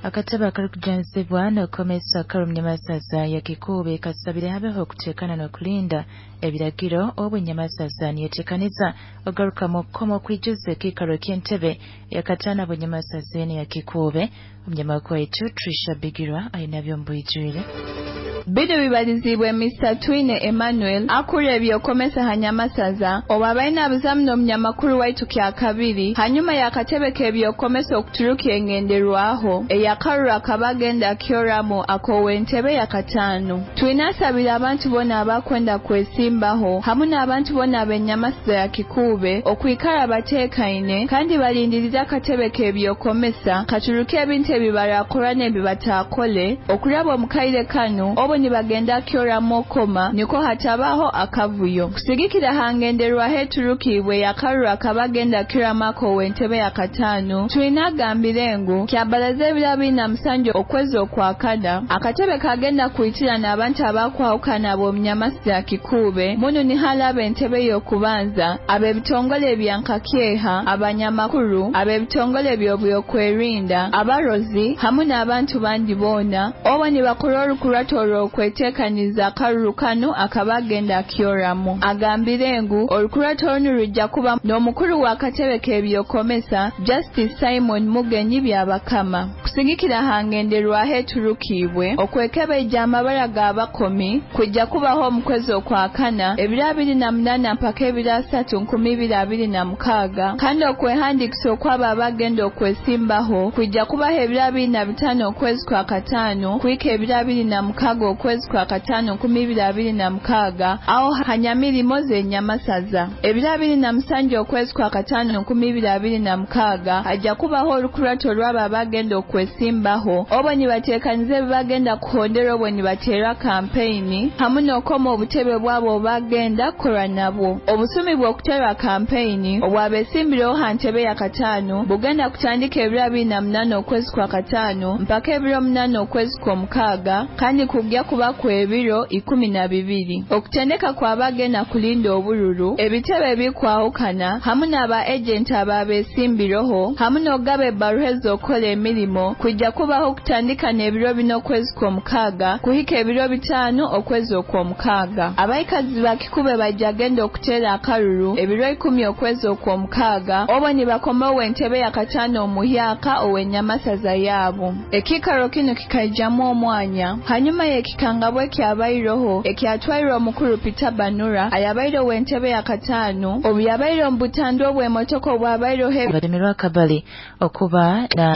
Akatebe akarukujunanizibwa n'okukomesa akaru Nyamasaza ya Kikuube kasabire habeho okuteekana n'okulinda ebiragiro obu Nyamasaza niyetekaniza ogarukamu okukoma okwijuza ekiikaro ky'entebe eyakataano Bunyamasaza enu ya Kikuube. Omunyamakuru waitu Trisha Bigirwa ainabyo omu bwijwire. Binu bibaliziibwe Mr Twine Emmanuel akurra ebyokomesa ha Nyamasaza obu abaire naabuzamu n'omunyamakuru waitu Kyakabiri hanyuma y'akatebe k'ebyokomesa okuturukya engenderwaho ey'akaruru akaba agenda kyoramu ak'ow'entebe yakataano. Twine asabire abantu boona abakwenda kwesimbaho hamu n'abantu boona ab'eNyamasaza ya Kikuube okwikara bateekaine kandi balindiriire akatebe k'ebyokomesa katurukye ebintu ebi barakora n'ebi bataakole okuraba omu kaire kanu obu nibagenda kyoramu okoma nukwo hatabaho akavuyo. Kusigikira ha ngenderwaho eturukiibwe ey'akaruru akaba agenda kyoramu ak'ow'entebe yakataano, Twine agambire ngu kyabaraza ebiro 27 okwezi Okwakana, akatebe kagenda kwitirana abantu abakwahukana ab'omu Nyamasaza ya Kikuube munu niho araba entebe y'okubanza, ab'ebitongole ebya nkakyeha, abanyamakuru, ab'ebitongole eby'obyokwerinda, abarozi hamu n'abantu bandi boona obu nibakora orukurato orw'okweteekaniza akaruru kanu akaba agenda kyoramu. Agambire ngu orukurato runu rujja kuba n'omukuru w'akatebe k'ebyokomesa Justice Simon Mugenyi Byabakama. Kusigikira ha ngenderwaho eturukiibwe, okwekebeija amabara g'abakomi kwijja kubaho omu kwezi Okwakana ebiro 28 mpaka ebiro 30 2026, kandi okwehandiikisa okwabo abagenda okwesimbaho kwijja kubaho ebiro 25 okwezi Kwakataano kuhika ebiro 26 okwezi Kwakataano 2026 aho ha Nyamirimo z'Enyamasaza. Ebiro 27 okwezi Kwakataano 2026 hajja kubaho orukurato rw'abo abagenda okwesimbaho obu nibateekaniza ebi bagenda kuhondera obu nibateera kampeyini hamu n'okoma obutebe bwabo obagenda kukora nabwo. Obusumi bw'okuteera kampeyini obw'abesimbireho ha ntebe yakataano bugenda kutandika ebiro 28 okwezi Kwakataano mpaka ebiro 8 okwezi Kwomukaaga kandi kugya kuba kw'ebiro 12. Okutendeka kw'abagenda kulinda obururu, ebitebe ebikwahukana hamu n'aba ejenti ababesimbireho hamu n'okugaba ebbaruha ez'okukora emirimo kwijja kubaho kutandika n'ebiro 4 okwezi Kwomukaaga kuhika ebiro 5 okwezi Okwomukaaga. Abaikazi ba Kikuube bajja genda okuteera akaruru ebiro 10 okwezi Okwomukaaga obu nibakoma ow'entebe yakataano omuhyaka ow'Enyamasaza yaabo. Ekiikaro kinu kikaijamu omwanya hanyuma y'ekikangabwa ekyabaireho ekyatwairwe omukuru Peter Banura ayabaire ow'entebe yakataano obu yabaire omu butandwa obw'emotoka obwabaireho Balemerwa akabali okuba na